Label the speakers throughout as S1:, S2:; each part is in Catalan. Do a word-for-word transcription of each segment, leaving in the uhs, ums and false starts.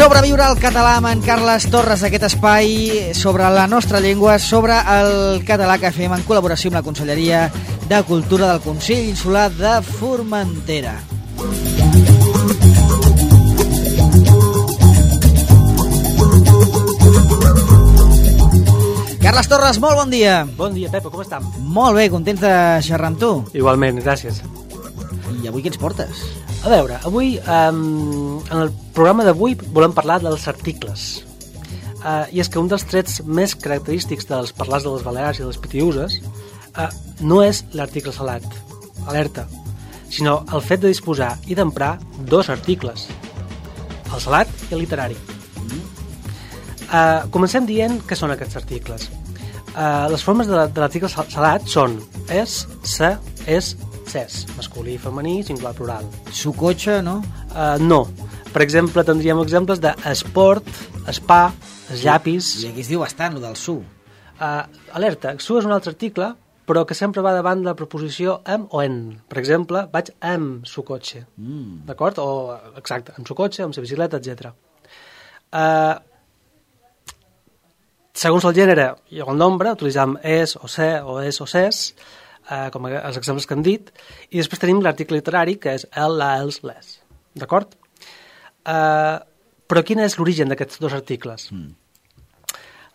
S1: Sobreviure al català amb en Carles Torres, aquest espai sobre la nostra llengua, sobre el català que fem en col·laboració amb la Conselleria de Cultura del Consell Insular de Formentera. Carles Torres, molt bon dia.
S2: Bon dia, Pepa, com estem?
S1: Molt bé, contents de xerrar amb tu.
S2: Igualment, gràcies.
S1: I avui què ens portes?
S2: A veure, avui, um, en el programa d'avui volem parlar dels articles. Uh, I és que un dels trets més característics dels parlars de les Balears i de les Pitiüses uh, no és l'article salat, alerta, sinó el fet de disposar i d'emprar dos articles, el salat i el literari. Uh, comencem dient què són aquests articles. Uh, les formes de, de l'article salat són es, se, es, ses, masculí i femení, singular, plural.
S1: Su cotxe, no?
S2: Uh, no. Per exemple, tindríem exemples de esport, spa, es llapis...
S1: I aquí es diu bastant, el del su.
S2: Uh, alerta, su és un altre article, però que sempre va davant de la preposició amb o en. Per exemple, vaig amb su cotxe. Mm. D'acord? O, exacte, amb su cotxe, amb sa bicicleta, etcètera. Uh, segons el gènere i el nombre, utilitzem es o se o es o ses, Uh, com els exemples que hem dit, i després tenim l'article literari, que és el, la, els, les. D'acord? Uh, però quin és l'origen d'aquests dos articles? Mm.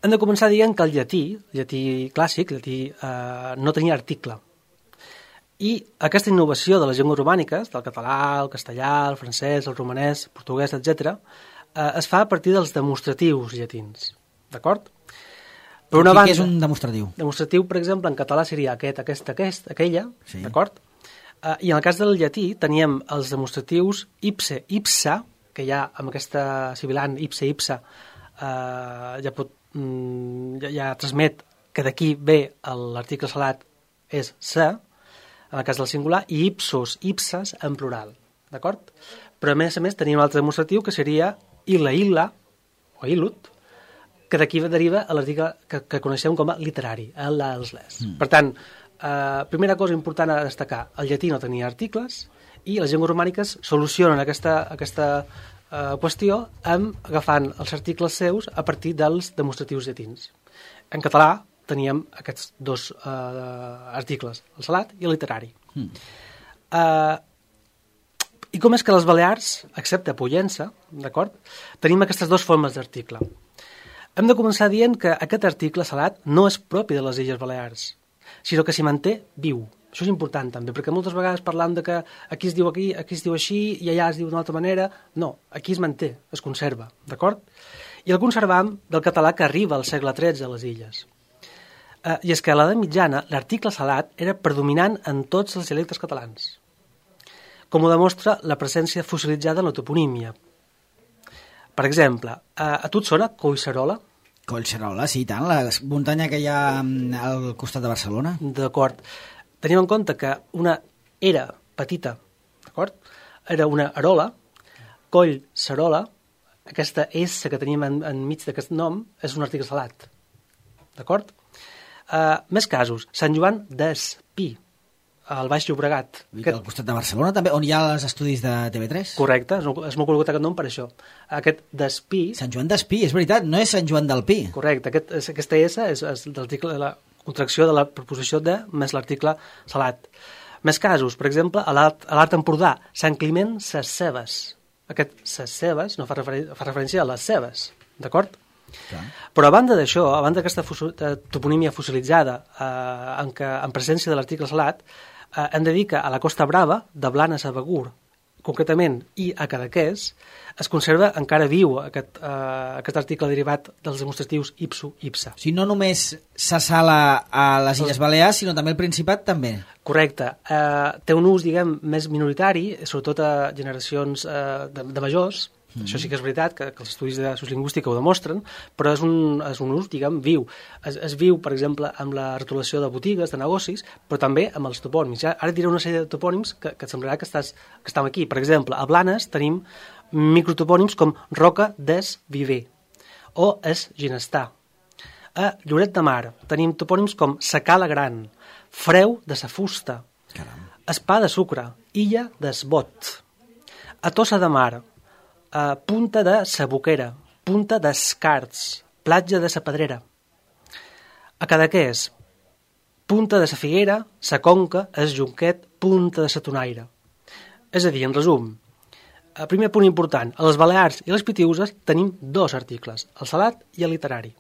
S2: Hem de començar dient que el llatí, el llatí clàssic, el llatí uh, no tenia article. I aquesta innovació de les llengües romàniques, del català, el castellà, el francès, el romanès, el portuguès, etcètera, uh, es fa a partir dels demostratius llatins. D'acord? Per una banda,
S1: què és un demostratiu?
S2: Demostratiu, per exemple, en català seria aquest, aquest, aquest, aquella, sí. D'acord? Uh, I en el cas del llatí teníem els demostratius ipse, ipsa, que ja amb aquesta sibilant ipse, ipsa, uh, ja, pot, mm, ja, ja transmet que d'aquí ve l'article salat és se, en el cas del singular, i ipsos, ipses en plural, d'acord? Però a més a més teníem un altre demostratiu que seria illa, illa, o ilut, que d'aquí deriva a l'article que, que coneixem com a literari, el, la, els, les. Mm. Per tant, eh, primera cosa important a destacar, el llatí no tenia articles i les llengües romàniques solucionen aquesta, aquesta eh, qüestió amb agafant els articles seus a partir dels demostratius llatins. En català teníem aquests dos eh, articles, el salat i el literari. Mm. Eh, I com és que les Balears, excepte Pollença, d'acord, tenim aquestes dues formes d'article. Hem de començar dient que aquest article salat no és propi de les Illes Balears, sinó que s'hi manté viu. Això és important també, perquè moltes vegades parlam de que aquí es diu aquí, aquí es diu així i allà es diu d'una altra manera. No, aquí es manté, es conserva, d'acord? I el conservam del català que arriba al segle tretze a les illes. Eh, I és que a l'edat mitjana l'article salat era predominant en tots els dialectes catalans, com ho demostra la presència fossilitzada en la toponímia. Per exemple, a, a tu et sona Collserola?
S1: Collserola, sí, tant, la muntanya que hi ha al costat de Barcelona.
S2: D'acord. Tenim en compte que una era petita, d'acord? Era una arola, Collserola, aquesta S que tenim en, enmig d'aquest nom és un article salat, d'acord? Uh, més casos, Sant Joan d'Espí, al Baix Llobregat.
S1: Aquest... Al costat de Barcelona també, on hi ha els estudis de T V tres?
S2: Correcte, és molt conegut aquest nom per això. Aquest d'Espí...
S1: Sant Joan d'Espí, és veritat, no és Sant Joan del Pi.
S2: Correcte, aquest, aquesta S és, és l'article de la contracció de la preposició de més l'article salat. Més casos, per exemple, a l'Alt Empordà, Sant Climent Ses Cebes. Aquest Ses Cebes no fa, referen fa referència a les cebes, d'acord? Clar. Però a banda d'això, a banda d'aquesta toponímia fossilitzada eh, en, que, en presència de l'article salat, eh, hem de dir que a la Costa Brava, de Blanes a Begur, concretament, i a Cadaqués, es conserva encara viu aquest, eh, aquest article derivat dels demostratius ipsu, ipsa.
S1: O sigui, no només s'assala a les Illes Balears, sinó també al Principat, també.
S2: Correcte. Eh, té un ús, diguem, més minoritari, sobretot a generacions eh, de, de majors. Mm. Això sí que és veritat, que, que els estudis de sociolingüística ho demostren, però és un, és un ús, diguem, viu. Es, es viu, per exemple, amb la retolació de botigues, de negocis, però també amb els topònims. Ja, ara et diré una sèrie de topònims que, que et semblarà que, estàs, que estem aquí. Per exemple, a Blanes tenim microtopònims com Roca des Viver o es Ginestar. A Lloret de Mar tenim topònims com Sa Cala Gran, Freu de sa Fusta, Caram. Espà de Sucre, Illa d'Esbot. A Tossa de Mar, uh, Punta de sa Boquera, Punta d'Escarts, Platja de sa Pedrera. A Cadaqués, Punta de sa Figuera, sa Conca, es Junquet, Punta de sa Tonaire. És a dir, en resum, el primer punt important, a les Balears i les Pitiüses tenim dos articles, el salat i el literari.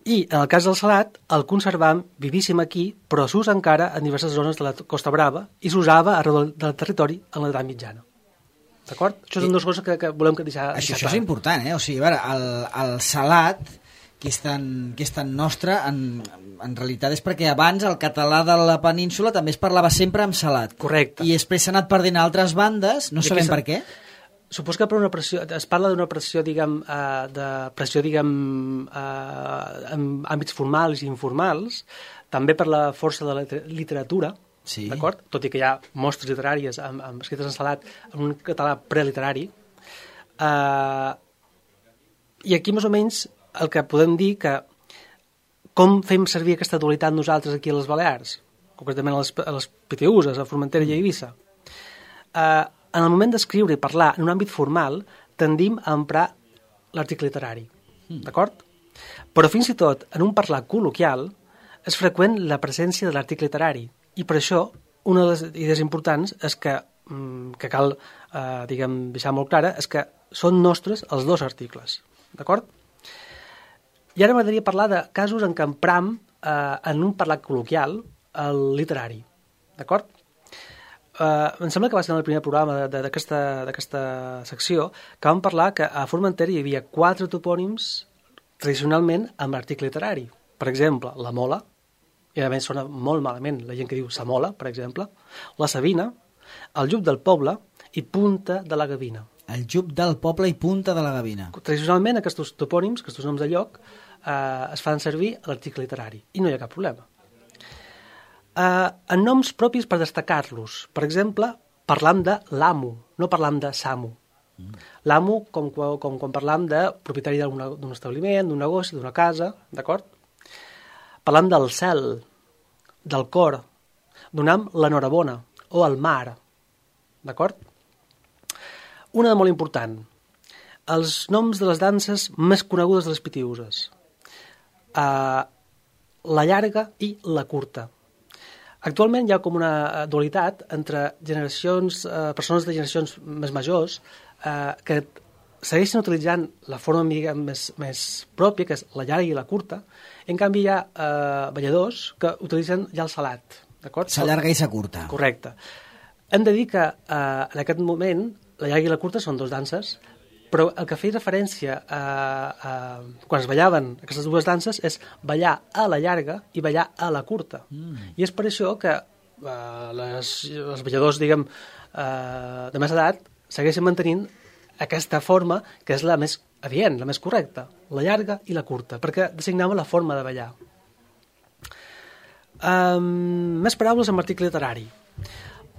S2: I, en el cas del salat, el conservam vivíssim aquí, però s'usa encara en diverses zones de la Costa Brava i s'usava arreu del territori en l'edat mitjana. D'acord? Això són dues coses que, que volem que deixar,
S1: això,
S2: deixar
S1: això
S2: clar.
S1: és important, eh? O sigui, a veure, el, el salat, que és tan, que és tan nostre, en, en realitat és perquè abans el català de la península també es parlava sempre amb salat.
S2: Correcte.
S1: I després s'ha anat perdent a altres bandes, no
S2: I
S1: sabem
S2: aquesta...
S1: per què.
S2: Supos que per una pressió, es parla d'una pressió, diguem, uh, de pressió, diguem, uh, en àmbits formals i informals, també per la força de la literatura,
S1: sí.
S2: D'acord? Tot i que hi ha mostres literàries amb, amb escrites en salat en un català preliterari. Uh, I aquí, més o menys, el que podem dir que com fem servir aquesta dualitat nosaltres aquí a les Balears, concretament a les, a les Pitiüses, a Formentera i a Eivissa. Uh, en el moment d'escriure i parlar en un àmbit formal, tendim a emprar l'article literari, mm. d'acord? Però fins i tot, en un parlar col·loquial, és freqüent la presència de l'article literari. I per això, una de les idees importants és que, que cal eh, diguem, deixar molt clara, és que són nostres els dos articles. D'acord? I ara m'agradaria parlar de casos en què empram eh, en un parlat col·loquial el literari. D'acord? Eh, em sembla que va ser en el primer programa d'aquesta secció que vam parlar que a Formentera hi havia quatre topònims tradicionalment amb l'article literari. Per exemple, la Mola, i a més sona molt malament la gent que diu Samola, per exemple, la Sabina, el Llup del Poble i Punta de la Gavina.
S1: El Llup del Poble i Punta de la Gavina.
S2: Tradicionalment aquests topònims, aquests noms de lloc, eh, es fan servir a l'article literari i no hi ha cap problema. Eh, en noms propis per destacar-los, per exemple, parlam de l'amo, no parlam de Samu. Mm. L'amo, com, com quan parlam de propietari d'un establiment, d'un negoci, d'una casa, d'acord? Parlam del cel, del cor, donam l'enhorabona o el mar, d'acord? Una de molt important, els noms de les danses més conegudes de les Pitiüses, uh, la llarga i la curta. Actualment hi ha com una dualitat entre generacions, uh, persones de generacions més majors uh, que segueixen utilitzant la forma més, més pròpia, que és la llarga i la curta, i en canvi hi ha eh, balladors que utilitzen ja el salat.
S1: Sa llarga i sa curta.
S2: Correcte. Hem de dir que eh, en aquest moment la llarga i la curta són dos danses, però el que feia referència a, a, quan es ballaven aquestes dues danses és ballar a la llarga i ballar a la curta. Mm. I és per això que eh, les, els balladors, diguem, eh, de més edat segueixen mantenint aquesta forma que és la més adient, la més correcta, la llarga i la curta, perquè designava la forma de ballar. Um, més paraules amb article literari.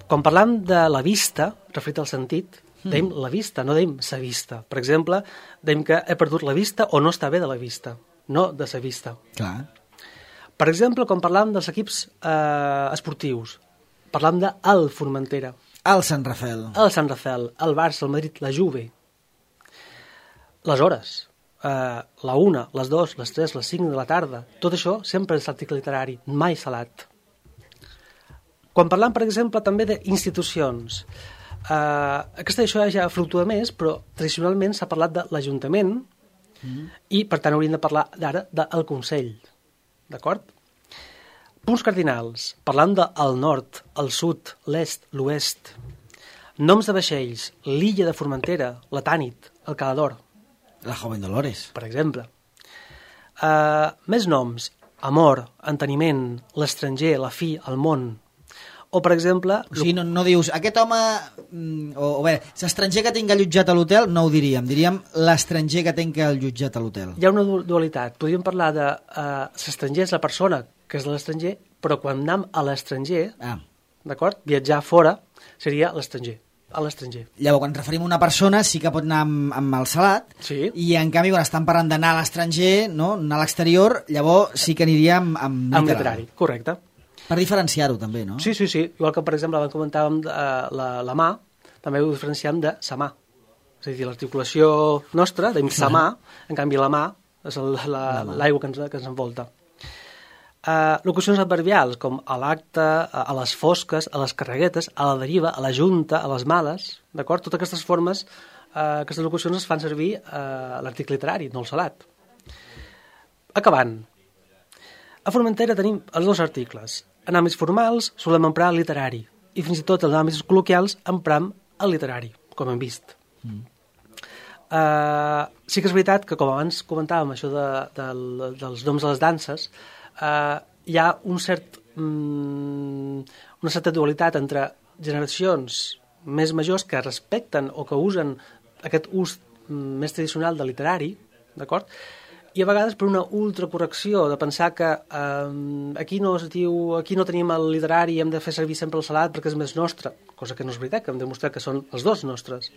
S2: Quan parlam de la vista, referit al sentit, mm. deim la vista, no deim sa vista. Per exemple, deim que he perdut la vista o no està bé de la vista, no de sa vista.
S1: Clar.
S2: Per exemple, quan parlam dels equips eh, esportius, parlam de el Formentera,
S1: el Sant Rafel.
S2: El Sant Rafel, el Barça, el Madrid, la Juve. Les hores, eh, la una, les dos, les tres, les cinc de la tarda. Tot això sempre és article literari, mai salat. Quan parlam, per exemple, també d'institucions, eh, aquesta això ja fluctua més, però tradicionalment s'ha parlat de l'Ajuntament mm. i, per tant, hauríem de parlar d'ara del Consell. D'acord? Punts cardinals. Parlant del nord, el sud, l'est, l'oest. Noms de vaixells. L'illa de Formentera, la Tànit, el Calador.
S1: La Joven Dolores.
S2: Per exemple. Uh, més noms. Amor, enteniment, l'estranger, la fi, el món. O, per exemple...
S1: O sigui, no, no dius, aquest home... O, o bé, l'estranger que tinc allotjat a l'hotel, no ho diríem. Diríem l'estranger que tinc allotjat a l'hotel.
S2: Hi ha una dualitat. Podríem parlar de... Uh, l'estranger és la persona que és de l'estranger, però quan anem a l'estranger, ah. d'acord? Viatjar fora seria l'estranger, a l'estranger.
S1: Llavors, quan ens referim a una persona, sí que pot anar amb, amb el salat,
S2: sí.
S1: I en canvi, quan estan parlant d'anar a l'estranger, no? Anar a l'exterior, llavors sí que aniria amb, amb literal.
S2: Amb literari, correcte.
S1: Per diferenciar-ho, també, no?
S2: Sí, sí, sí. Igual que, per exemple, abans comentàvem uh, la, la mà, també ho diferenciem de sa mà. és a dir, l'articulació nostra, d'imsamar, en canvi la mà és l'aigua que, ens, que ens envolta. Uh, locucions adverbials, com a l'acte, a, a les fosques, a les carreguetes, a la deriva, a la junta, a les males, d'acord? Totes aquestes formes, uh, aquestes locucions es fan servir uh, a l'article literari, no al salat. Acabant. A Formentera tenim els dos articles. En àmbits formals solem emprar el literari i fins i tot en àmbits col·loquials empram el literari, com hem vist. Mm. Uh, sí que és veritat que, com abans comentàvem, això de, de, dels noms de les danses, uh, hi ha un cert, um, una certa dualitat entre generacions més majors que respecten o que usen aquest ús um, més tradicional del literari, d'acord? I a vegades per una ultracorrecció de pensar que um, aquí, no es diu, aquí no tenim el literari i hem de fer servir sempre el salat perquè és més nostre, cosa que no és veritat, que hem demostrat que són els dos nostres.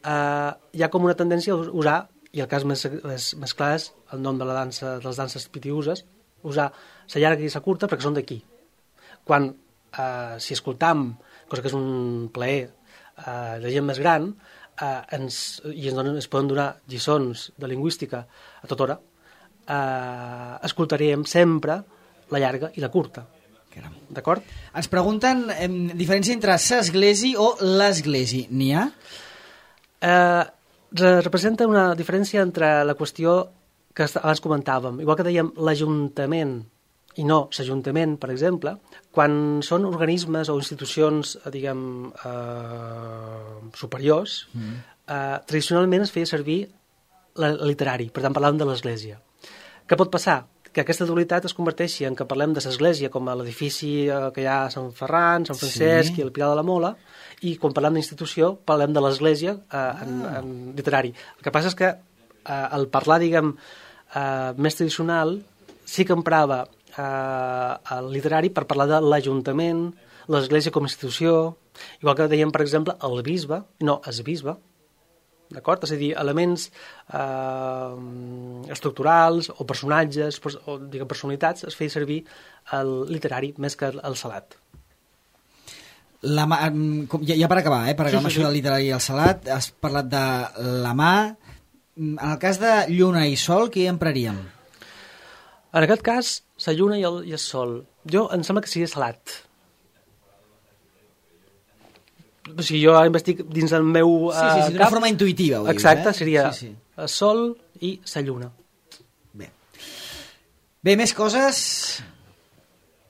S2: Uh, hi ha com una tendència a usar, i el cas més, més, més clar és el nom de la dansa, de les danses pitiuses, usar la llarga i la curta perquè són d'aquí. Quan, uh, si escoltam, cosa que és un plaer uh, de gent més gran, uh, ens, i ens, donen, ens poden donar lliçons de lingüística a tota hora, uh, escoltaríem sempre la llarga i la curta. D'acord?
S1: Ens pregunten eh, diferència entre s'esglesi o l'esglesi. N'hi ha?
S2: Eh, representa una diferència entre la qüestió que abans comentàvem. Igual que dèiem l'Ajuntament i no l'Ajuntament, per exemple, quan són organismes o institucions, diguem, eh, superiors, mm. eh, tradicionalment es feia servir el literari, per tant parlàvem de l'Església. Què pot passar? Que aquesta dualitat es converteixi en que parlem de l'Església com a l'edifici que hi ha a Sant Ferran, Sant Francesc sí. i el Pilar de la Mola, i quan parlem d'institució parlem de l'Església eh, en, en literari. El que passa és que eh, el parlar, diguem, eh, més tradicional sí que emprava eh, el literari per parlar de l'Ajuntament, l'Església com a institució, igual que dèiem, per exemple, el bisbe, no, es bisbe, d'acord? És a dir, elements eh, estructurals o personatges o diguem, personalitats es feia servir el literari més que el salat.
S1: La mà, ja, ja per acabar, eh, per acabar sí, sí, això sí. del literari i el salat, has parlat de la mà. En el cas de lluna i sol, què hi empraríem?
S2: En aquest cas, la lluna i el, i el sol. Jo em sembla que sigui salat. O sigui, jo investic dins el meu uh,
S1: sí, sí, sí, d'una forma intuïtiva. Ho
S2: Exacte,
S1: dius, eh?
S2: seria
S1: sí, sí.
S2: el sol i la lluna.
S1: Bé. Bé, més coses?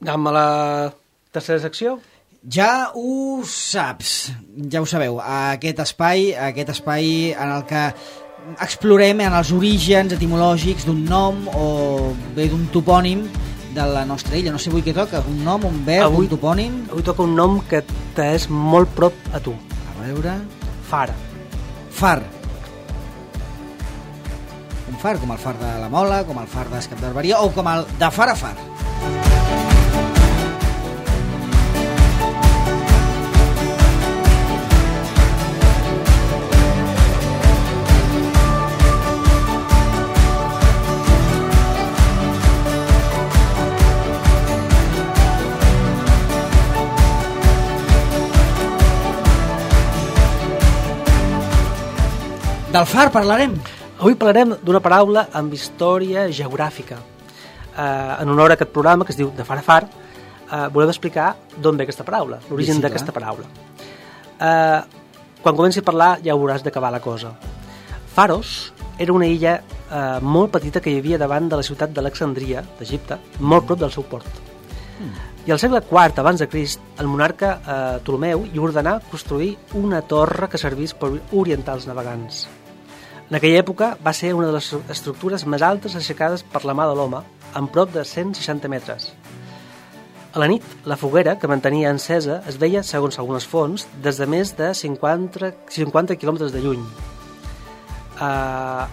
S2: Anem a la tercera secció.
S1: Ja ho saps, ja ho sabeu, aquest espai, aquest espai en el que explorem en els orígens etimològics d'un nom o bé d'un topònim de la nostra illa. No sé avui què toca, un nom, un verb, avui, un topònim?
S2: Avui toca un nom que t'és molt prop a tu.
S1: A veure...
S2: Far.
S1: Far. Un far, com el far de la Mola, com el far d'Escap d'Arberia o com el de far a far. Del far parlarem.
S2: Avui parlarem d'una paraula amb història geogràfica. Eh, en honor a aquest programa que es diu De far a far, eh, volem explicar d'on ve aquesta paraula, l'origen sí, d'aquesta paraula. Eh, quan comenci a parlar ja hauràs d'acabar la cosa. Faros era una illa eh, molt petita que hi havia davant de la ciutat d'Alexandria, d'Egipte, molt prop del seu port. Mm. I al segle quart abans de Crist, el monarca eh, Ptolemeu hi ordenà construir una torre que servís per orientar els navegants. En aquella època va ser una de les estructures més altes aixecades per la mà de l'home, amb prop de cent seixanta metres. A la nit, la foguera, que mantenia encesa, es veia, segons algunes fonts, des de més de cinquanta, cinquanta quilòmetres de lluny. Uh,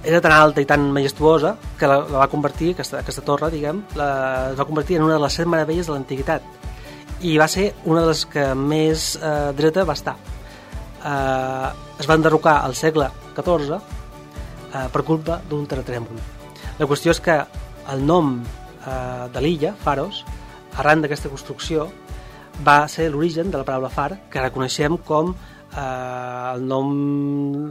S2: era tan alta i tan majestuosa que la, la va convertir, aquesta, aquesta torre, diguem, la, la va convertir en una de les set meravelles de l'antiguitat. I va ser una de les que més uh, dreta va estar. Uh, es va enderrocar al segle catorze uh, per culpa d'un terratrèmol. La qüestió és que el nom uh, de l'illa, Faros, arran d'aquesta construcció, va ser l'origen de la paraula far, que reconeixem com Uh, el nom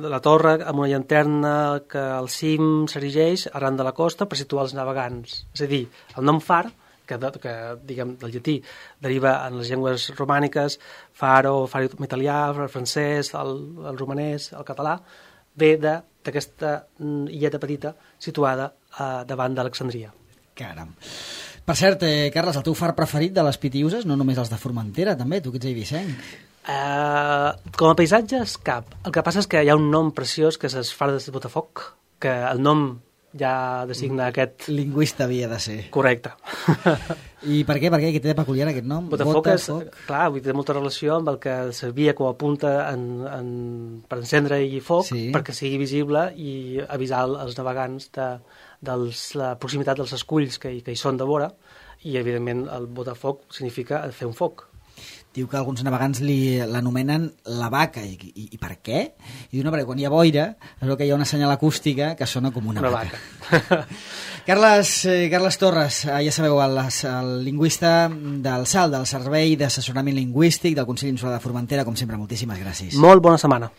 S2: de la torre amb una llanterna que al cim s'erigeix arran de la costa per situar els navegants. És a dir, el nom far, que, de, que diguem, del llatí deriva en les llengües romàniques, faro, faro italià, el francès, el, el romanès, el català, ve d'aquesta illeta petita situada uh, davant d'Alexandria.
S1: Caram. Per cert, eh, Carles, el teu far preferit de les Pitiüses, no només els de Formentera, també, tu que ets eivissenc.
S2: Uh, com a paisatges, cap. El que passa és que hi ha un nom preciós que és el far de Botafoc, que el nom ja designa aquest...
S1: Lingüista havia de ser.
S2: Correcte.
S1: I per què? Per què? Què té de peculiar aquest nom?
S2: Botafoc, Botafoc. És, clar, té molta relació amb el que servia com a punta en, en, per encendre-hi foc, sí. perquè sigui visible i avisar els navegants de, de la proximitat dels esculls que, que hi són de vora, i evidentment el Botafoc significa fer un foc.
S1: Diu que alguns navegants l'anomenen la vaca. I, i, I per què? I diu, no, perquè quan hi ha boira es veu que hi ha una senyal acústica que sona com una,
S2: una
S1: vaca.
S2: vaca.
S1: Carles, eh, Carles Torres, eh, ja sabeu, el, el lingüista del S A L, del Servei d'Assessorament Lingüístic del Consell Insular de Formentera, com sempre, moltíssimes gràcies.
S2: Molt bona setmana.